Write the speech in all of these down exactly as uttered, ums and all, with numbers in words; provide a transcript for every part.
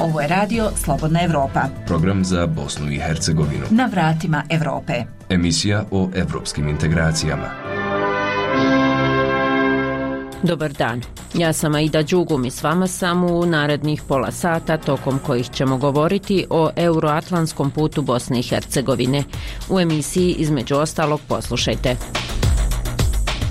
Ovo je radio Slobodna Evropa. Program za Bosnu i Hercegovinu. Na vratima Evrope. Emisija o evropskim integracijama. Dobar dan. Ja sam Aida Đugum i s vama sam u narednih pola sata tokom kojih ćemo govoriti o euroatlantskom putu Bosne i Hercegovine. U emisiji između ostalog poslušajte.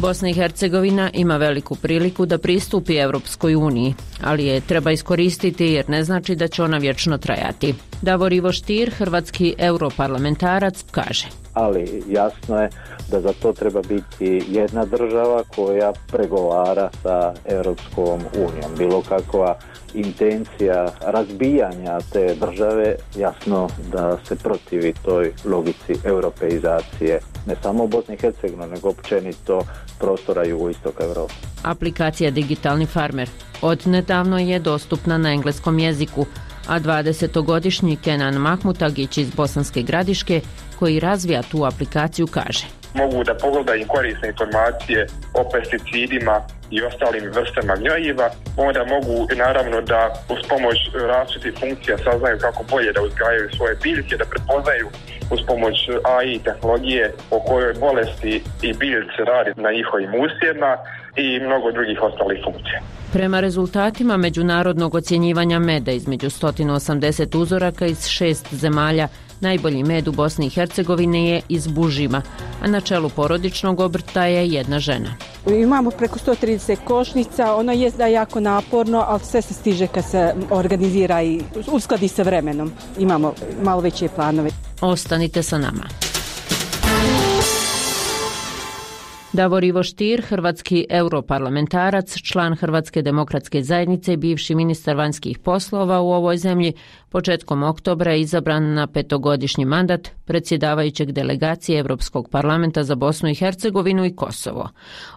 Bosna i Hercegovina ima veliku priliku da pristupi Evropskoj uniji, ali je treba iskoristiti jer ne znači da će ona vječno trajati. Davor Ivo Stier, hrvatski europarlamentarac, kaže. Ali jasno je da za to treba biti jedna država koja pregovara sa Europskom unijom. Bilo kakva intencija razbijanja te države, jasno da se protivi toj logici europeizacije, ne samo u Bosni i Hercegovini, nego općenito prostora jugoistoka Europe. Aplikacija Digitalni farmer od nedavno je dostupna na engleskom jeziku, a dvadesetogodišnji Kenan Mahmutagić iz Bosanske Gradiške, koji razvija tu aplikaciju, kaže. Mogu da pogledaju korisne informacije o pesticidima i ostalim vrstama gnojiva, onda mogu naravno da uz pomoć različitih funkcija saznaju kako bolje da uzgajaju svoje biljke, da prepoznaju uz pomoć A I tehnologije o kojoj bolesti i biljci radi na njihovim usjevima i mnogo drugih ostalih funkcija. Prema rezultatima međunarodnog ocjenjivanja meda između sto osamdeset uzoraka iz šest zemalja, najbolji med u Bosni i Hercegovini je iz Bužima, a na čelu porodičnog obrta je jedna žena. Imamo preko sto trideset košnica, ono je da je jako naporno, ali sve se stiže kad se organizira i uskladi sa vremenom. Imamo malo veće planove. Ostanite sa nama. Davor Ivo Stier, hrvatski europarlamentarac, član Hrvatske demokratske zajednice i bivši ministar vanjskih poslova u ovoj zemlji, početkom oktobra je izabran na petogodišnji mandat predsjedavajućeg delegacije Europskog parlamenta za Bosnu i Hercegovinu i Kosovo.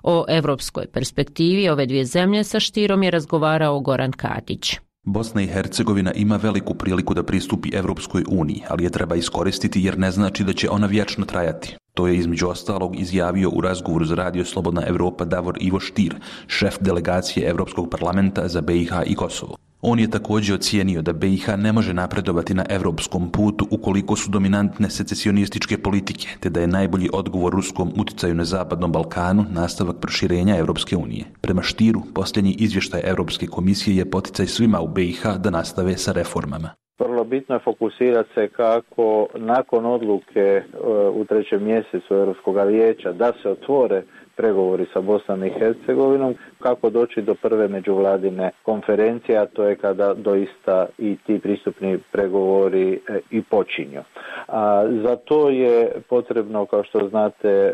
O evropskoj perspektivi ove dvije zemlje sa Stierom je razgovarao Goran Katić. Bosna i Hercegovina ima veliku priliku da pristupi Evropskoj uniji, ali je treba iskoristiti jer ne znači da će ona vječno trajati. To je između ostalog izjavio u razgovoru za radio Slobodna Evropa Davor Ivo Stier, šef delegacije Europskog parlamenta za B i H i Kosovo. On je također ocijenio da B i H ne može napredovati na europskom putu ukoliko su dominantne secesionističke politike, te da je najbolji odgovor ruskom uticaju na Zapadnom Balkanu nastavak proširenja Europske unije. Prema Stieru, posljednji izvještaj Europske komisije je poticaj svima u B i H da nastave sa reformama. Vrlo bitno je fokusirati se kako nakon odluke u trećem mjesecu Europskog vijeća da se otvore pregovori sa Bosnom i Hercegovinom, kako doći do prve međuvladine konferencije, a to je kada doista i ti pristupni pregovori i počinju. A za to je potrebno, kao što znate, e,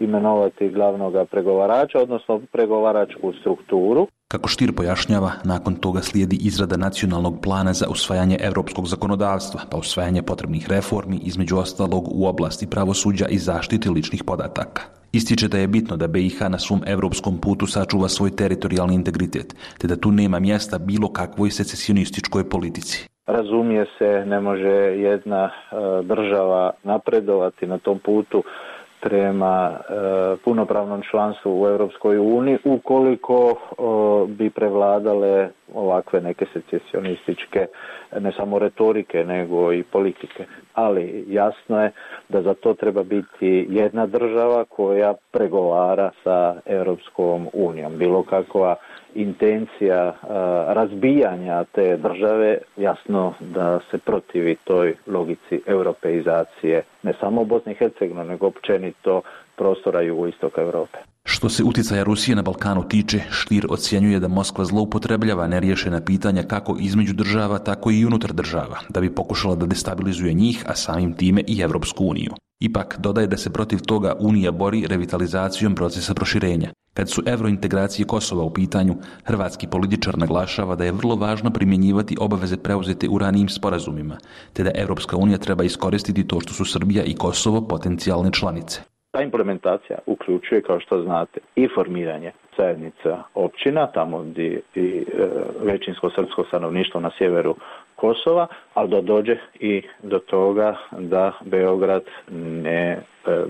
imenovati glavnog pregovarača, odnosno pregovaračku strukturu. Kako Stier pojašnjava, nakon toga slijedi izrada nacionalnog plana za usvajanje europskog zakonodavstva, pa usvajanje potrebnih reformi, između ostalog u oblasti pravosuđa i zaštite ličnih podataka. Ističe da je bitno da B i H na svom europskom putu sačuva svoj teritorijalni integritet, te da tu nema mjesta bilo kakvoj secesionističkoj politici. Razumije se, ne može jedna e, država napredovati na tom putu prema e, punopravnom članstvu u Europskoj uniji ukoliko o, bi prevladale ovakve neke secesionističke ne samo retorike nego i politike. Ali jasno je da za to treba biti jedna država koja pregovara sa Europskom unijom. Bilo kakva intencija a, razbijanja te države, jasno da se protivi toj logici europeizacije, ne samo u Bosni i Hercegovini, nego općenito prostora jugoistoka Europe. Što se utjecaja Rusije na Balkanu tiče, Stier ocjenjuje da Moskva zloupotrebljava neriješena pitanja kako između država, tako i unutar država, da bi pokušala da destabilizuje njih, a samim time i Evropsku uniju. Ipak, dodaje da se protiv toga Unija bori revitalizacijom procesa proširenja. Kad su eurointegracije Kosova u pitanju, hrvatski političar naglašava da je vrlo važno primjenjivati obaveze preuzete u ranijim sporazumima, te da Evropska unija treba iskoristiti to što su Srbija i Kosovo potencijalne članice. Ta implementacija uključuje, kao što znate, i formiranje zajednica općina, tamo gdje i e, većinsko srpsko stanovništvo na sjeveru Kosova, ali da dođe i do toga da Beograd ne e,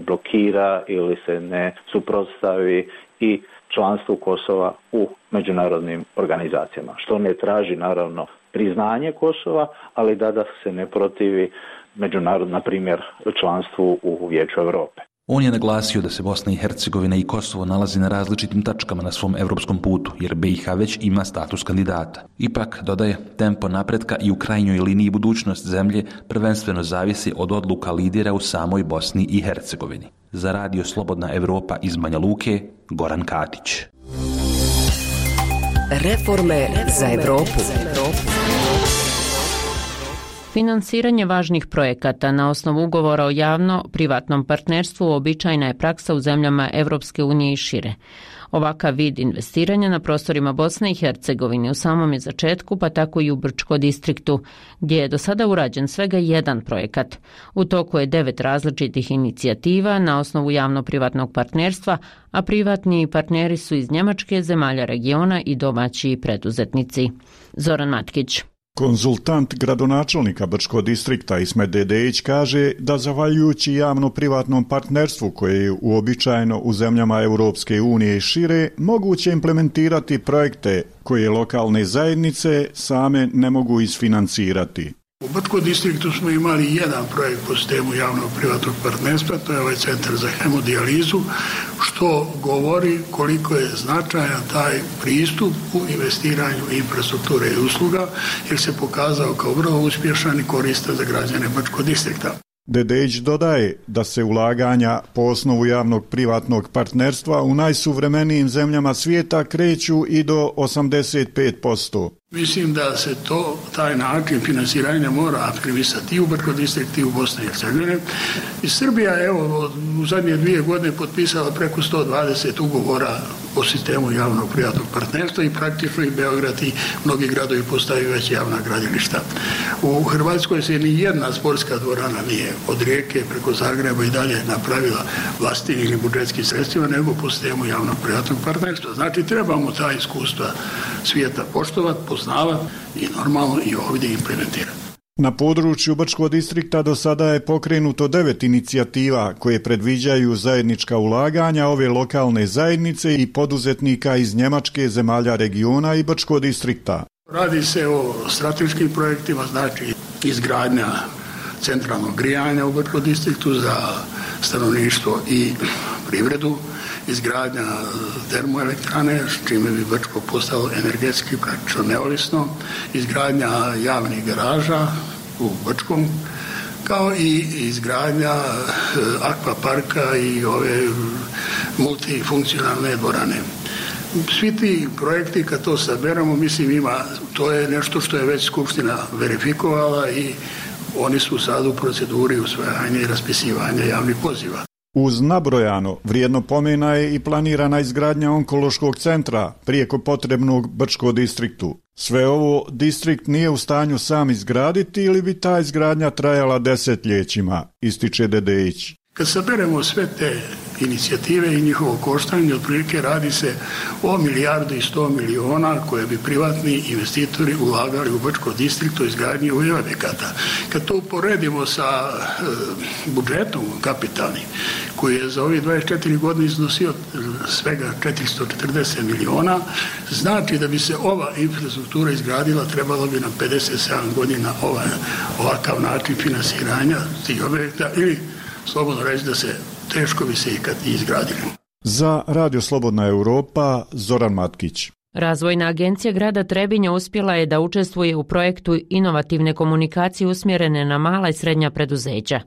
blokira ili se ne suprotstavi i članstvu Kosova u međunarodnim organizacijama, što ne traži naravno priznanje Kosova, ali da, da se ne protivi međunarodno, na primjer, članstvu u Vijeću Europe. On je naglasio da se Bosna i Hercegovina i Kosovo nalazi na različitim tačkama na svom evropskom putu, jer B i H već ima status kandidata. Ipak, dodaje, tempo napretka i u krajnjoj liniji budućnost zemlje prvenstveno zavisi od odluka lidera u samoj Bosni i Hercegovini. Za Radio Slobodna Evropa iz Banja Luke, Goran Katić. Reforme za Evropu. Finansiranje važnih projekata na osnovu ugovora o javno-privatnom partnerstvu uobičajena je praksa u zemljama Evropske unije i šire. Ovakav vid investiranja na prostorima Bosne i Hercegovine u samom je začetku, pa tako i u Brčko distriktu, gdje je do sada urađen svega jedan projekat. U toku je devet različitih inicijativa na osnovu javno-privatnog partnerstva, a privatni partneri su iz Njemačke, zemalja regiona i domaći preduzetnici. Zoran Matkić. Konzultant gradonačelnika Brčkog distrikta Ismet Dedejić kaže da zahvaljujući javno-privatnom partnerstvu koje je uobičajeno u zemljama Europske unije i šire, moguće implementirati projekte koje lokalne zajednice same ne mogu isfinancirati. U Brčkom distriktu smo imali jedan projekt po sistemu javno-privatnog partnerstva, to je ovaj centar za hemodijalizu, što govori koliko je značajan taj pristup u investiranju infrastrukture i usluga, jer se pokazao kao vrlo uspješan i koristan za građane Brčkog distrikta. Dedejić dodaje da se ulaganja po osnovu javnog privatnog partnerstva u najsuvremenijim zemljama svijeta kreću i do osamdeset pet posto. Mislim da se to, taj način finansiranja mora aktivisati i u Brčkom distriktu i u Bosni i Hercegovini. I Srbija je evo, u zadnje dvije godine potpisala preko sto dvadeset ugovora o sistemu javnog privatnog partnerstva i praktično i Beograd i mnogi gradovi postaju već javna gradilišta. U Hrvatskoj se ni jedna sportska dvorana nije od Rijeke preko Zagreba i dalje napravila vlastitim ili budžetskim sredstvima, nego po sistemu javnog privatnog partnerstva. Znači trebamo ta iskustva svijeta poštovati, poznavati i normalno i ovdje implementirati. Na području Brčkog distrikta do sada je pokrenuto devet inicijativa koje predviđaju zajednička ulaganja ove lokalne zajednice i poduzetnika iz Njemačke, zemalja regiona i Brčkog distrikta. Radi se o strateškim projektima, znači izgradnja centralnog grijanja u Brčkom distriktu za stanovništvo i privredu, izgradnja termoelektrane, s čime bi Brčko postalo energetski praktično neovisno, izgradnja javnih garaža u Brčkom, kao i izgradnja akvaparka i ove multifunkcionalne dvorane. Svi ti projekti, kad to saberamo, mislim ima, to je nešto što je već Skupština verifikovala i oni su sad u proceduri usvajanja i raspisivanja javnih poziva. Uz nabrojano vrijedno pomena je i planirana izgradnja onkološkog centra prijeko potrebnog Brčkom distriktu. Sve ovo distrikt nije u stanju sam izgraditi ili bi ta izgradnja trajala desetljećima, ističe Dedejić. Kad saberemo sve te inicijative i njihovo koštanje, otprilike radi se o milijardu i sto miliona koje bi privatni investitori ulagali u Brčkom distriktu izgradnji ovih objekata. Kad to uporedimo sa e, budžetom kapitalnim, koji je za ovih dvadeset četiri godine iznosio svega četiristo četrdeset miliona, znači da bi se ova infrastruktura izgradila trebalo bi nam pedeset sedam godina ovaj, ovakav način finansiranja tih objekta ili slobodno reći da se teško bi se ikad i izgradili. Za Radio Slobodna Evropa, Zoran Matkić. Razvojna agencija grada Trebinja uspjela je da učestvuje u projektu inovativne komunikacije usmjerene na mala i srednja preduzeća.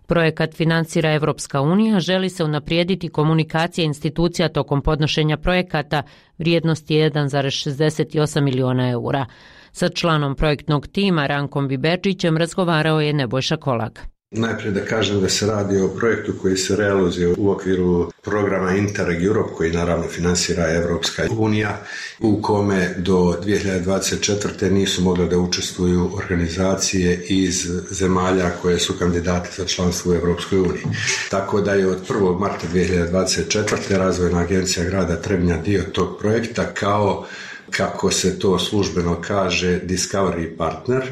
Projekat financira Evropska unija, želi se unaprijediti komunikacija institucija tokom podnošenja projekata vrijednosti jedan zarez šezdeset osam miliona eura. Sa članom projektnog tima Rankom Viberčićem razgovarao je Nebojša Kolak. Najprije da kažem da se radi o projektu koji se realizuje u okviru programa Interreg Europe, koji naravno finansira Evropska unija, u kome do dvije hiljade dvadeset četvrte nisu mogle da učestvuju organizacije iz zemalja koje su kandidati za članstvo u Evropskoj uniji. Tako da je od prvog marta dvije hiljade dvadeset četvrte Razvojna agencija grada Trebinja dio tog projekta kao, kako se to službeno kaže, Discovery Partner.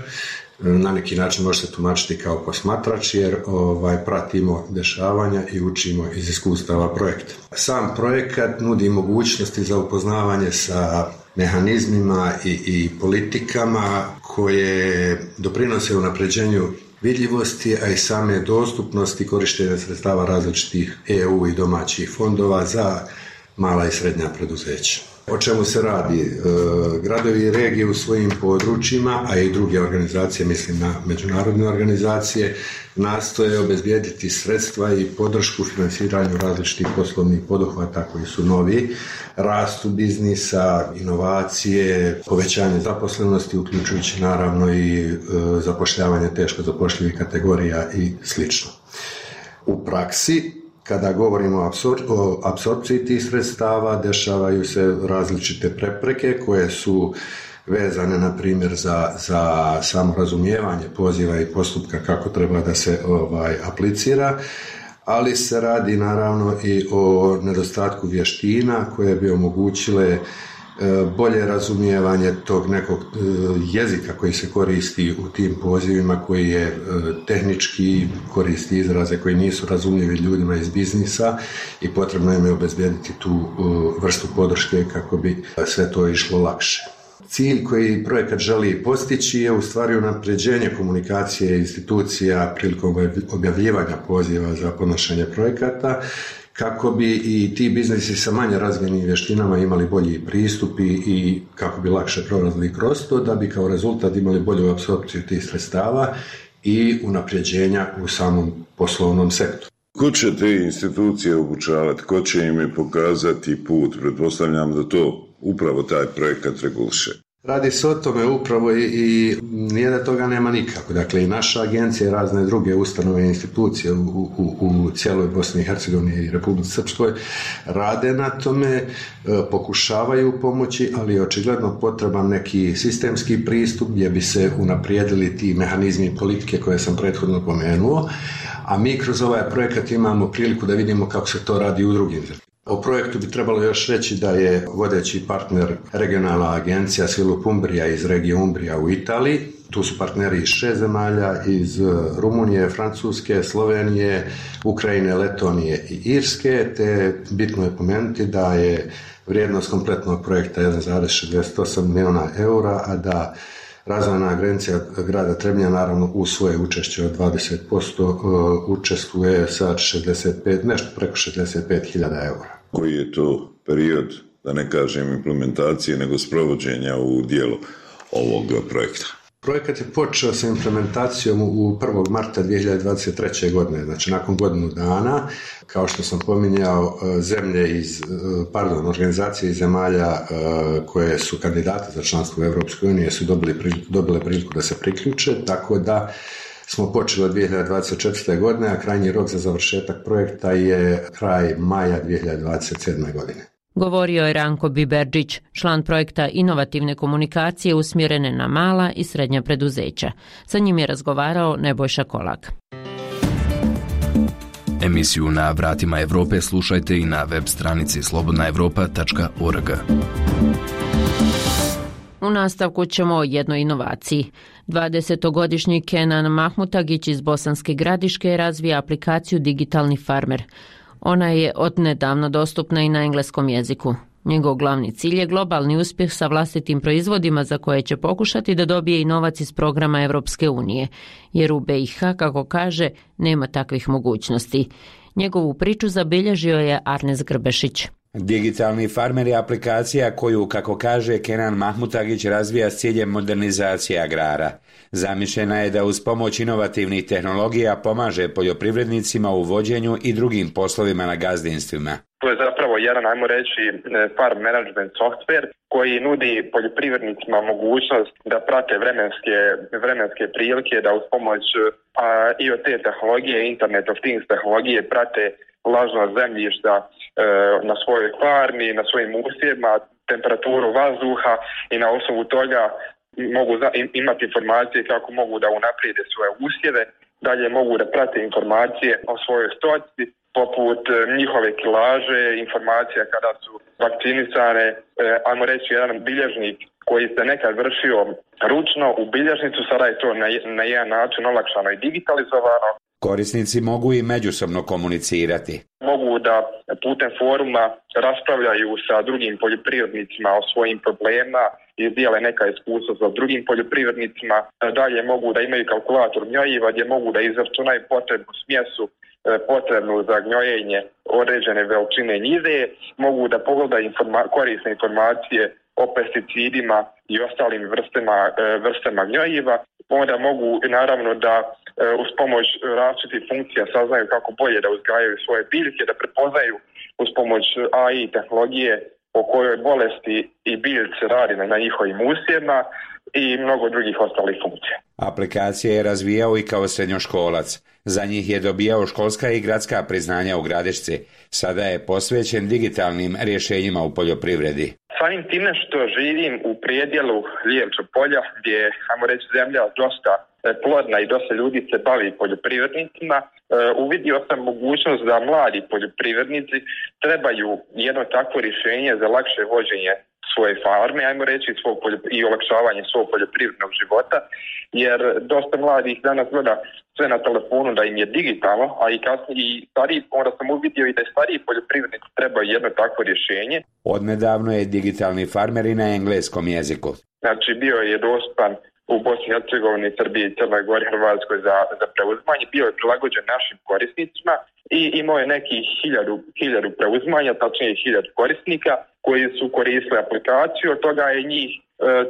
Na neki način može se tumačiti kao posmatrač jer ovaj, pratimo dešavanja i učimo iz iskustava projekta. Sam projekat nudi mogućnosti za upoznavanje sa mehanizmima i, i politikama koje doprinose unapređenju vidljivosti, a i same dostupnosti korištenja sredstava različitih E U i domaćih fondova za mala i srednja preduzeća. O čemu se radi? E, gradovi i regije u svojim područjima, a i druge organizacije, mislim na međunarodne organizacije, nastoje obezbijediti sredstva i podršku financiranju različitih poslovnih poduhvata koji su novi, rastu biznisa, inovacije, povećanje zaposlenosti, uključujući naravno i e, zapošljavanje teško zapošljivih kategorija i slično. U praksi, kada govorimo o, apsor- o apsorpciji tih sredstava, dešavaju se različite prepreke koje su vezane, na primjer, za, za samo razumijevanje poziva i postupka kako treba da se ovaj, aplicira, ali se radi naravno i o nedostatku vještina koje bi omogućile bolje razumijevanje tog nekog jezika koji se koristi u tim pozivima, koji je tehnički, koristi izraze koji nisu razumljivi ljudima iz biznisa i potrebno im je obezbijediti tu vrstu podrške kako bi sve to išlo lakše. Cilj koji projekat želi postići je u stvari unapređenje komunikacije institucija prilikom objavljivanja poziva za podnošenje projekata, kako bi i ti biznisi sa manje razvijenim vještinama imali bolji pristup i kako bi lakše prolazili kroz to, da bi kao rezultat imali bolju apsorpciju tih sredstava i unapređenja u samom poslovnom sektoru. Ko će te institucije obučavati, ko će im pokazati put? Pretpostavljam da to upravo taj projekat reguliše. Radi se o tome upravo i, i nije da toga nema nikako. Dakle, i naša agencija i razne druge ustanove i institucije u, u, u cijeloj Bosni i Hercegovini i Republici Srpskoj rade na tome, pokušavaju pomoći, ali je očigledno potreban neki sistemski pristup gdje bi se unaprijedili ti mehanizmi i politike koje sam prethodno pomenuo, a mi kroz ovaj projekat imamo priliku da vidimo kako se to radi u drugim zemljama. O projektu bi trebalo još reći da je vodeći partner regionalna agencija Svilup Umbrija iz regije Umbrija u Italiji. Tu su partneri iz šest zemalja, iz Rumunije, Francuske, Slovenije, Ukrajine, Letonije i Irske, te bitno je pomenuti da je vrijednost kompletnog projekta jedan zarez šezdeset osam milijuna eura, a da Razvojna agencija grada Trebinja naravno u svoje učešće od dvadeset posto učestvuje sa šezdeset pet, nešto preko šezdeset pet hiljada eura. Koji je to period, da ne kažem implementacije, nego sprovođenja u dijelu ovog projekta? Projekat je počeo sa implementacijom u prvog marta dvije hiljade dvadeset treće. godine, znači nakon godinu dana. Kao što sam pominjao, zemlje iz, pardon, organizacije iz zemalja koje su kandidate za članstvo u Europskoj uniji su dobili, dobile priliku da se priključe, tako da smo počeli od dvije hiljade dvadeset četvrte. godine, a krajnji rok za završetak projekta je kraj maja dvije hiljade dvadeset sedme. godine. Govorio je Ranko Biberđić, član projekta inovativne komunikacije usmjerene na mala i srednja preduzeća. Sa njim je razgovarao Nebojša Kolak. Emisiju Na vratima Evrope slušajte i na web stranici slobodna evropa tačka org. U nastavku ćemo o jednoj inovaciji. dvadesetogodišnji Kenan Mahmutagić iz Bosanske Gradiške razvija aplikaciju Digitalni farmer. Ona je odnedavno dostupna i na engleskom jeziku. Njegov glavni cilj je globalni uspjeh sa vlastitim proizvodima za koje će pokušati da dobije i novac iz programa Europske unije, jer u B i H, kako kaže, nema takvih mogućnosti. Njegovu priču zabilježio je Arnes Grbešić. Digitalni farmer je aplikacija koju, kako kaže Kenan Mahmutagić, razvija s ciljem modernizacije agrara. Zamišljena je da uz pomoć inovativnih tehnologija pomaže poljoprivrednicima u vođenju i drugim poslovima na gazdinstvima. To je zapravo jedan, ajmo reći, farm management software koji nudi poljoprivrednicima mogućnost da prate vremenske, vremenske prilike, da uz pomoć a, I O T tehnologije, Internet of Things tehnologije prate vlažnost zemljišta e, na svojoj farmi, na svojim usjevima, temperaturu vazduha i na osnovu toga mogu za, imati informacije kako mogu da unaprijede svoje usjeve, dalje mogu da prate informacije o svojoj stoci, poput njihove kilaže, informacija kada su vakcinisane, e, ajmo reći jedan bilježnik koji se nekad vršio ručno u bilježnicu, sada je to na, na jedan način olakšano i digitalizovano. Korisnici mogu i međusobno komunicirati. Mogu da putem foruma raspravljaju sa drugim poljoprivrednicima o svojim problemima i dijele neka iskustva sa drugim poljoprivrednicima. Dalje mogu da imaju kalkulator gnojiva gdje mogu da izračunaju potrebnu smjesu potrebnu za gnojenje određene veličine njive, mogu da pogledaju informa- korisne informacije o pesticidima i ostalim vrstama, vrstama gnojiva. Onda mogu naravno da uz pomoć različitih funkcija saznaju kako bolje da uzgajaju svoje biljke, da prepoznaju uz pomoć A I tehnologije o kojoj bolesti i biljci radi na njihovim usjevima i mnogo drugih ostalih funkcija. Aplikacije je razvijao i kao srednjoškolac. Za njih je dobijao školska i gradska priznanja u Gradišci. Sada je posvećen digitalnim rješenjima u poljoprivredi. Samim time što živim u predjelu Lijevča polja, gdje je, ajmo reći, zemlja dosta plodna i dosta ljudi se bavi poljoprivrednicima, uvidio sam mogućnost da mladi poljoprivrednici trebaju jedno takvo rješenje za lakše vođenje svoje farme, ajmo reći, svog poljop- i olakšavanje svog poljoprivrednog života, jer dosta mladih danas gleda sve na telefonu da im je digitalno, a i kasnije i stariji, onda sam uvidio i da je stariji poljoprivrednici trebaju jedno takvo rješenje. Odnedavno je digitalni farmer i na engleskom jeziku. Znači bio je dostupan u Bosni i Hercegovini, Srbiji, Crnoj Gori, Hrvatskoj za, za preuzimanje, bio je prilagođen našim korisnicima i imao je nekih hiljadu, hiljadu preuzimanja, tačnije hiljadu korisnika koji su koristili aplikaciju, od toga je njih e,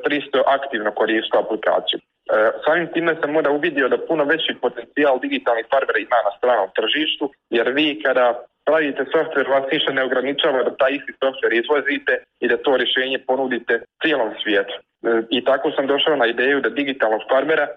tristo aktivno koristilo aplikaciju. E, samim time sam onda uvidio da puno veći potencijal digitalnih farmera ima na stranom tržištu, jer vi kada pravite softver, vas ništa ne ograničava da taj isti softver izvozite i da to rješenje ponudite cijelom svijetu. I tako sam došao na ideju da digitalnog farmera,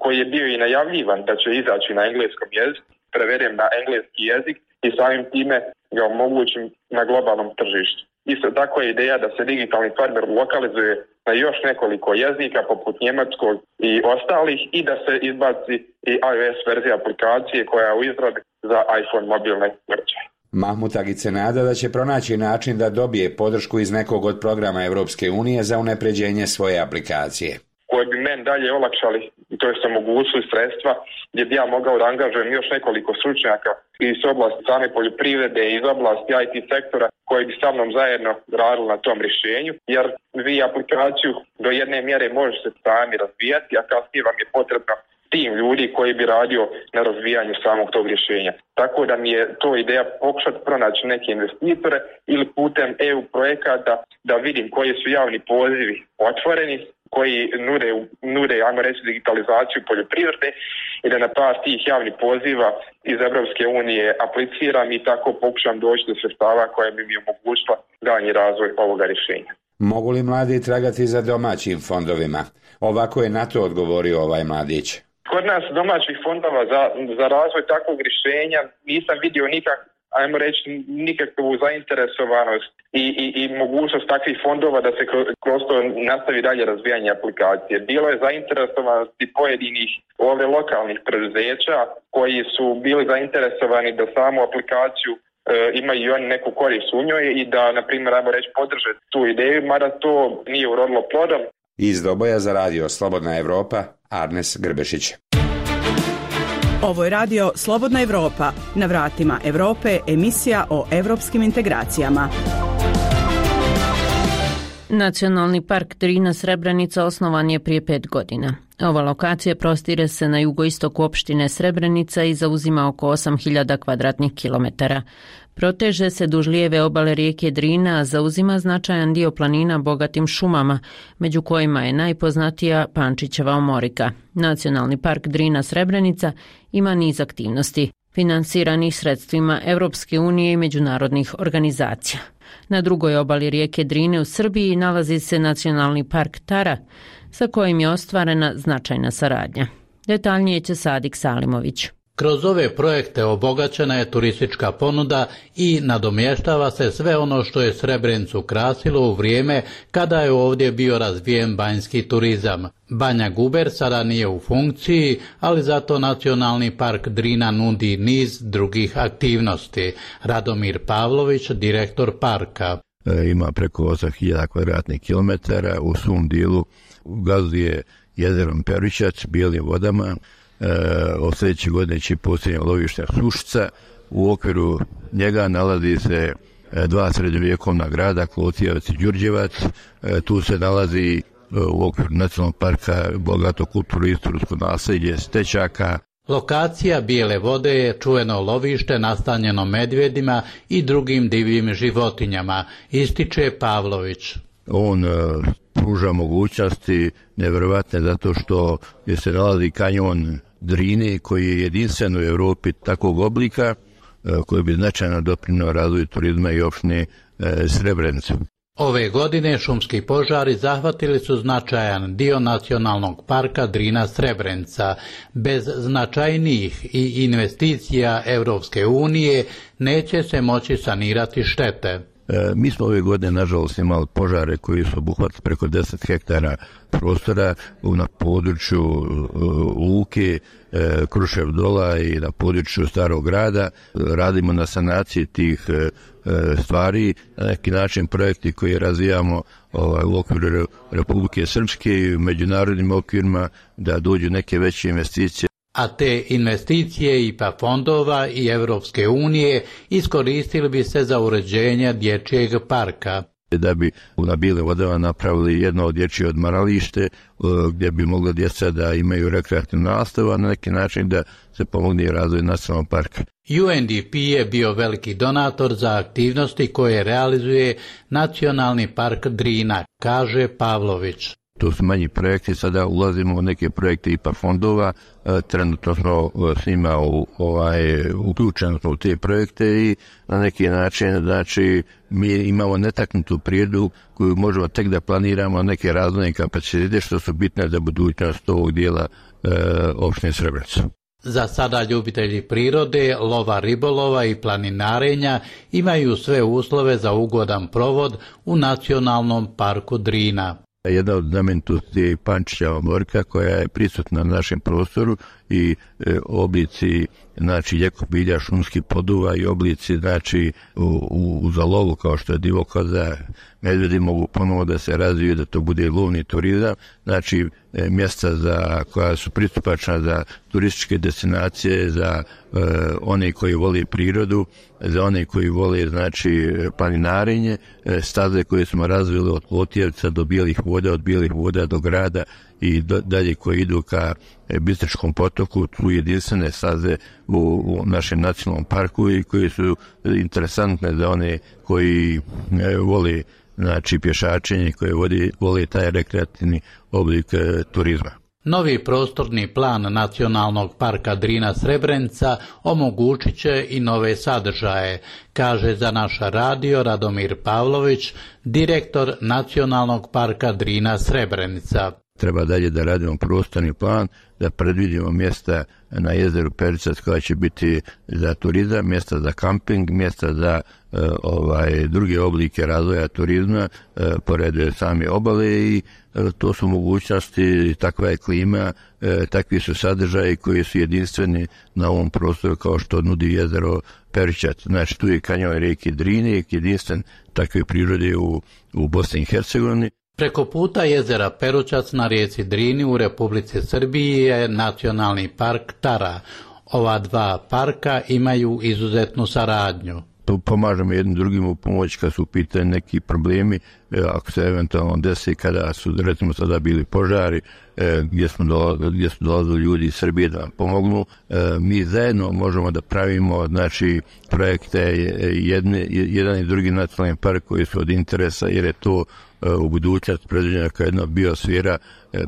koji je bio i najavljivan da će izaći na engleskom jeziku, prevedem na engleski jezik i samim time ga omogućim na globalnom tržištu. Isto tako je ideja da se digitalni farmer lokalizuje na još nekoliko jezika poput njemačkog i ostalih i da se izbaci i iOS verzija aplikacije koja je u izradi za iPhone mobilne uređaje. Mahmut Agić se nada da će pronaći način da dobije podršku iz nekog od programa Europske unije za unapređenje svoje aplikacije. Koje bi meni dalje olakšali, to je omogućili sredstva gdje bi ja mogao da angažujem još nekoliko stručnjaka iz oblasti same poljoprivrede i iz oblasti I T sektora koji bi sa mnom zajedno radili na tom rješenju, jer vi aplikaciju do jedne mjere možete sami razvijati, a kasnije vam je potrebno tim ljudi koji bi radio na razvijanju samog tog rješenja. Tako da mi je to ideja pokušati pronaći neke investitore ili putem E U projekata da vidim koji su javni pozivi otvoreni, koji nude, nude, ajmo reći, digitalizaciju poljoprivrede i da na par tih javnih poziva iz Europske unije apliciram i tako pokušam doći do sredstava koja bi mi omogućila daljnji razvoj ovoga rješenja. Mogu li mladi tragati za domaćim fondovima? Ovako je na to odgovorio ovaj mladić. Kod nas domaćih fondova za, za razvoj takvog rješenja nisam vidio nikak, ajmo reći, nikakvu zainteresovanost i, i, i mogućnost takvih fondova da se kroz to nastavi dalje razvijanje aplikacije. Bilo je zainteresovanosti pojedinih ovdje lokalnih preduzeća koji su bili zainteresovani da samu aplikaciju e, imaju i oni neku korist u njoj i da, na primjer, ajmo reći, podrže tu ideju, mada to nije urodilo plodom. Iz Doboja za radio Slobodna Evropa, Arnes Grbešić. Ovo je radio Slobodna Evropa, na vratima Europe, emisija o evropskim integracijama. Nacionalni park Drina Srebrenica osnovan je prije pet godina. Ova lokacija prostire se na jugoistoku opštine Srebrenica i zauzima oko osam hiljada kvadratnih kilometara. Proteže se duž lijeve obale rijeke Drina, a zauzima značajan dio planina bogatim šumama, među kojima je najpoznatija Pančićeva omorika. Nacionalni park Drina Srebrenica ima niz aktivnosti, finansiranih sredstvima Europske unije i međunarodnih organizacija. Na drugoj obali rijeke Drine u Srbiji nalazi se Nacionalni park Tara, sa kojim je ostvarena značajna saradnja. Detaljnije će Sadik Salimović. Kroz ove projekte obogaćena je turistička ponuda i nadomještava se sve ono što je Srebrenicu krasilo u vrijeme kada je ovdje bio razvijen banjski turizam. Banja Guber sada nije u funkciji, ali zato Nacionalni park Drina nudi niz drugih aktivnosti. Radomir Pavlović, direktor parka. E, ima preko osam hiljada kvadratnih kilometara, u svom dijelu gazduje jezerom Perućac, bijelim vodama, od sljedeće godine će posljednje lovište Sušica. U okviru njega nalazi se dva srednjovjekovna grada, Klotijevac i Đurđevac. Tu se nalazi u okviru nacionalnog parka bogato kulturno istorijsko nasljeđe Stećaka. Lokacija Bijele vode je čuveno lovište nastanjeno medvjedima i drugim divljim životinjama, ističe Pavlović. On pruža mogućnosti nevjerovatne zato što je se nalazi kanjon Drine koji je jedinstven u Europi takvog oblika koji bi značajno doprinio razvoju turizma i opštine Srebrenicu. Ove godine šumski požari zahvatili su značajan dio nacionalnog parka Drina Srebrenica. Bez značajnijih i investicija Europske unije neće se moći sanirati štete. E, mi smo ove godine nažalost imali požare koji su obuhvatili preko deset hektara prostora na području e, Luke, e, Krušev Dola i na području Starog grada. Radimo na sanaciji tih e, stvari, na neki način projekti koje razvijamo ovaj, u okviru Republike Srpske i u međunarodnim okvirima da dođu neke veće investicije. A te investicije I P A fondova i Europske unije iskoristili bi se za uređenje dječjeg parka. Da bi na Bijelim vodama napravili jedno od dječje odmaralište gdje bi mogla djeca da imaju rekreativnu nastavu, a na neki način da se pomogne razvoj nacionalnog parka. U N D P je bio veliki donator za aktivnosti koje realizuje Nacionalni park Drina, kaže Pavlović. To su manji projekti, sada ulazimo u neke projekte I P A fondova, trenutno smo s njima u, ovaj, uključeni u te projekte i na neki način, znači, mi imamo netaknutu prirodu koju možemo tek da planiramo neke razvojne kapacitete što su bitne za budućnost ovog dijela e, opštine Srebrenica. Za sada ljubitelji prirode, lova, ribolova i planinarenja imaju sve uslove za ugodan provod u Nacionalnom parku Drina. Jedna od znamenitosti je i Pančićeva morka koja je prisutna na našem prostoru i e, oblici znači ljekobilja, šumskih poduva i oblici znači u, u, u zalovu kao što je divokoza, medvjedi mogu ponovo da se razviju, da to bude lovni turizam, znači e, mjesta za, koja su pristupačna za turističke destinacije, za e, one koji vole prirodu, za one koji vole znači planinarenje, e, staze koje smo razvili od Klotijevca do Bijelih voda, od Bijelih voda do grada i do, dalje koji idu ka Bistričkom potoku, tu jedinstvene staze u, u našem nacionalnom parku i koji su interesantne za one koji e, vole znači pješačenje, koji voli, vole taj rekreativni oblik e, turizma. Novi prostorni plan Nacionalnog parka Drina Srebrenica omogućit će i nove sadržaje, kaže za naš radio Radomir Pavlović, direktor Nacionalnog parka Drina Srebrenica. Treba dalje da radimo prostorni plan, da predvidimo mjesta na jezeru Pericac koja će biti za turizam, mjesta za kamping, mjesta za e, ovaj druge oblike razvoja turizma, e, pored same obale i e, to su mogućnosti, takva je klima, e, takvi su sadržaji koji su jedinstveni na ovom prostoru kao što nudi jezero Pericac. Znači tu je kanjon rijeke Drine, jedinstven takve prirode u, u Bosni i Hercegovini. Preko puta jezera Perućac na rijeci Drini u Republici Srbiji je Nacionalni park Tara. Ova dva parka imaju izuzetnu saradnju. Pomažemo jednim drugim u pomoć kad su u pitanju neki problemi, ako se eventualno desi kada su recimo sada bili požari, gdje smo dolazili, gdje su dolazili ljudi iz Srbije da nam pomognu. Mi zajedno možemo da pravimo znači projekte jedne, jedan i drugi nacionalni park koji su od interesa jer je to u budućnost predviđena kao jedna biosfera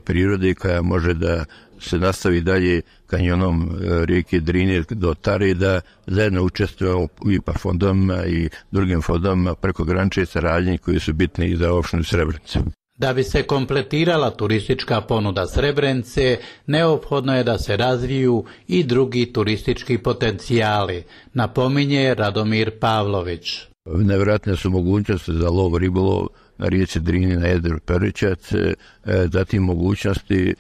prirode koja može da se nastavi dalje kanjonom rijeke Drine do Tare, da zajedno učestvujemo u I P A fondovima i drugim fondovima preko granične saradnje koji su bitni i za opštinu Srebrenicu. Da bi se kompletirala turistička ponuda Srebrenice, neophodno je da se razviju i drugi turistički potencijali, napominje Radomir Pavlović. Nevjerojatne su mogućnosti za lov ribolov na rijeci Drini, na jezeru Perućac, zatim mogućnosti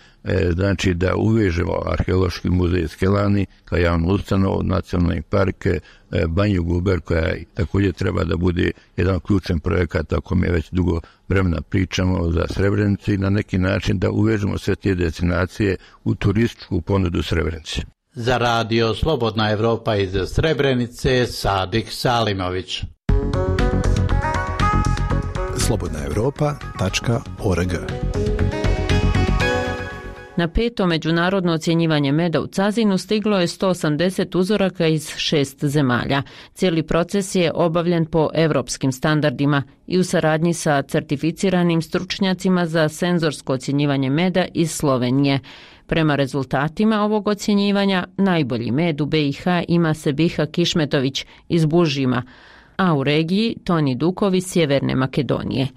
znači da uvežemo arheološki muzej Skelani kao javnu ustanovu, nacionalni park Banju Guber, koja također treba da bude jedan ključan projekat, ako mi već dugo vremena pričamo za Srebrenicu, i na neki način da uvežemo sve te destinacije u turističku ponudu Srebrenice. Za radio Slobodna Evropa iz Srebrenice, Sadik Salimović. slobodna evropa tačka org. Na peto međunarodno ocjenjivanje meda u Cazinu stiglo je sto osamdeset uzoraka iz šest zemalja. Cijeli proces je obavljen po evropskim standardima i u saradnji sa certificiranim stručnjacima za senzorsko ocjenjivanje meda iz Slovenije. Prema rezultatima ovog ocjenjivanja, najbolji med u B i H ima Sebiha Kišmetović iz Bužima, a u regiji Toni Dukov iz Sjeverne Makedonije.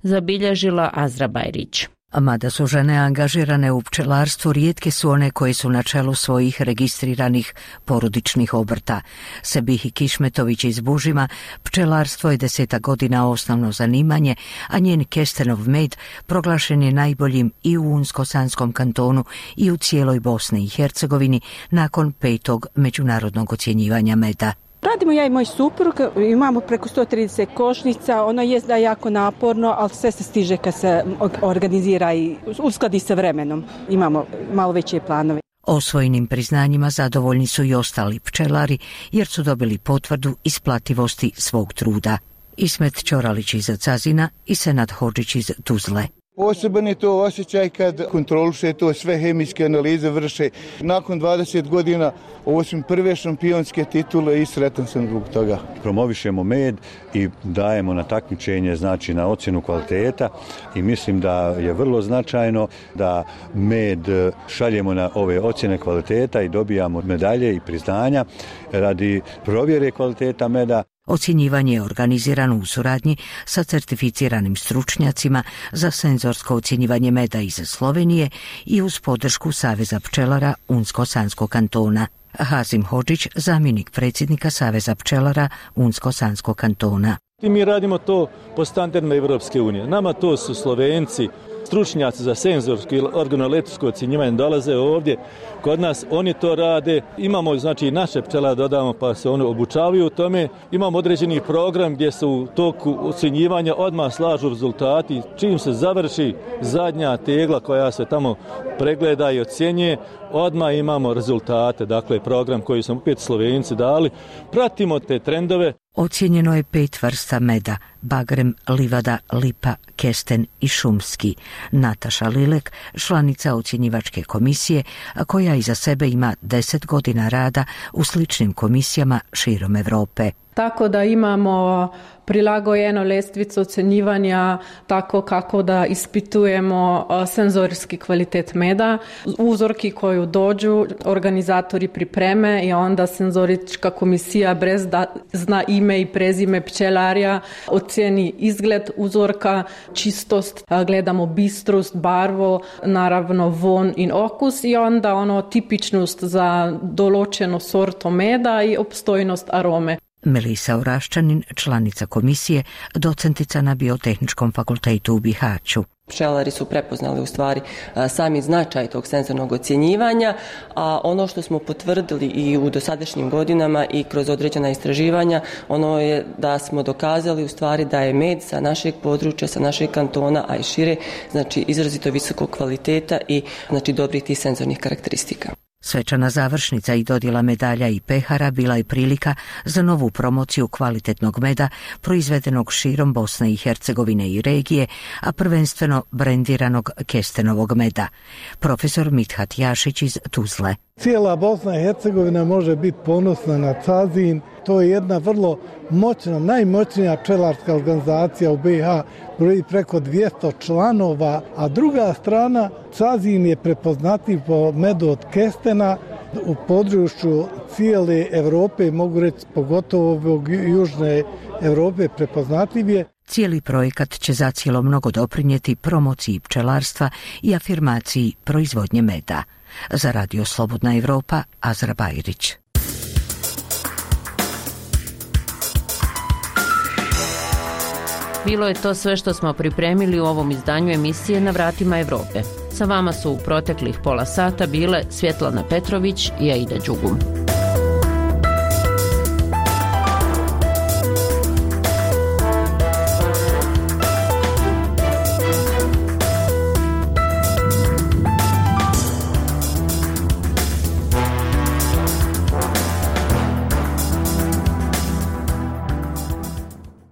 Zabilježila Azra Bajrić. Mada su žene angažirane u pčelarstvu, rijetke su one koje su na čelu svojih registriranih porodičnih obrta. Sebihi Kišmetović iz Bužima, pčelarstvo je deseta godina osnovno zanimanje, a njen kestenov med proglašen je najboljim i u Unsko-Sanskom kantonu i u cijeloj Bosni i Hercegovini nakon petog međunarodnog ocjenjivanja meda. Radimo ja i moj suprug, imamo preko sto trideset košnica, ono je da je jako naporno, ali sve se stiže kad se organizira i uskladi sa vremenom. Imamo malo veće planove. Osvojenim priznanjima zadovoljni su i ostali pčelari jer su dobili potvrdu isplativosti svog truda. Ismet Ćoralić iz Cazina i Senad Hodžić iz Tuzle. Poseban je to osjećaj kad kontroliše to, sve hemijske analize vrše. Nakon dvadeset godina ovo su prve šampionske titule i sretan sam zbog toga. Promovišemo med i dajemo na takmičenje, znači na ocjenu kvaliteta, i mislim da je vrlo značajno da med šaljemo na ove ocjene kvaliteta i dobijamo medalje i priznanja radi provjere kvaliteta meda. Ocjenjivanje je organizirano u suradnji sa certificiranim stručnjacima za senzorsko ocjenjivanje meda iz Slovenije i uz podršku Saveza pčelara Unsko-Sanskog kantona. Hazim Hodžić, zamjenik predsjednika Saveza pčelara Unsko-Sanskog kantona. I mi radimo to po standardima Evropske unije. Nama to su Slovenci, stručnjaci za senzorsko i organoleptičko ocjenjivanje dolaze ovdje kod nas, oni to rade. Imamo znači naše pčelare dodamo pa se oni obučavaju u tome. Imamo određeni program gdje se u toku ocjenjivanja odmah slažu rezultati. Čim se završi zadnja tegla koja se tamo pregleda i ocjenjuje, odmah imamo rezultate. Dakle, program koji su opet Slovenci dali. Pratimo te trendove. Ocijenjeno je pet vrsta meda: bagrem, livada, lipa, kesten i šumski. Nataša Lilek, članica ocjenjivačke komisije, koja iza sebe ima deset godina rada u sličnim komisijama širom Europe. Tako da imamo prilagojeno lestvicu ocjenjivanja tako kako da ispitujemo senzorijski kvalitet meda. Uzorki koju dođu, organizatori pripreme i onda senzorička komisija bez da zna ime i prezime pčelarja ocjeni izgled uzorka, čistost, gledamo bistrost, barvo, naravno von in okus i onda ono tipičnost za določeno sorto meda i opstojnost arome. Melisa Oraščanin, članica komisije, docentica na Biotehničkom fakultetu u Bihaću. Pčelari su prepoznali u stvari sami značaj tog senzornog ocjenjivanja, a ono što smo potvrdili i u dosadašnjim godinama i kroz određena istraživanja, ono je da smo dokazali u stvari da je med sa našeg područja, sa našeg kantona, a i šire, znači izrazito visokog kvaliteta i znači dobrih tih senzornih karakteristika. Svečana završnica i dodjela medalja i pehara bila je prilika za novu promociju kvalitetnog meda proizvedenog širom Bosne i Hercegovine i regije, a prvenstveno brendiranog kestenovog meda. Profesor Mithat Jašić iz Tuzle. Cijela Bosna i Hercegovina može biti ponosna na Cazin. To je jedna vrlo moćna, najmoćnija pčelarska organizacija u B i H, broji preko dvjesto članova, a druga strana, Cazin je prepoznatljiv po medu od kestena u području cijele Europe, mogu reći pogotovo ovog južne Europe prepoznatljiv je. Cijeli projekat će zacijelo mnogo doprinijeti promociji pčelarstva i afirmaciji proizvodnje meda. Za Radio Slobodna Evropa, Azra Bajrić. Bilo je to sve što smo pripremili u ovom izdanju emisije Na vratima Evrope. Sa vama su u proteklih pola sata bile Svjetlana Petrović i Aida Đugum.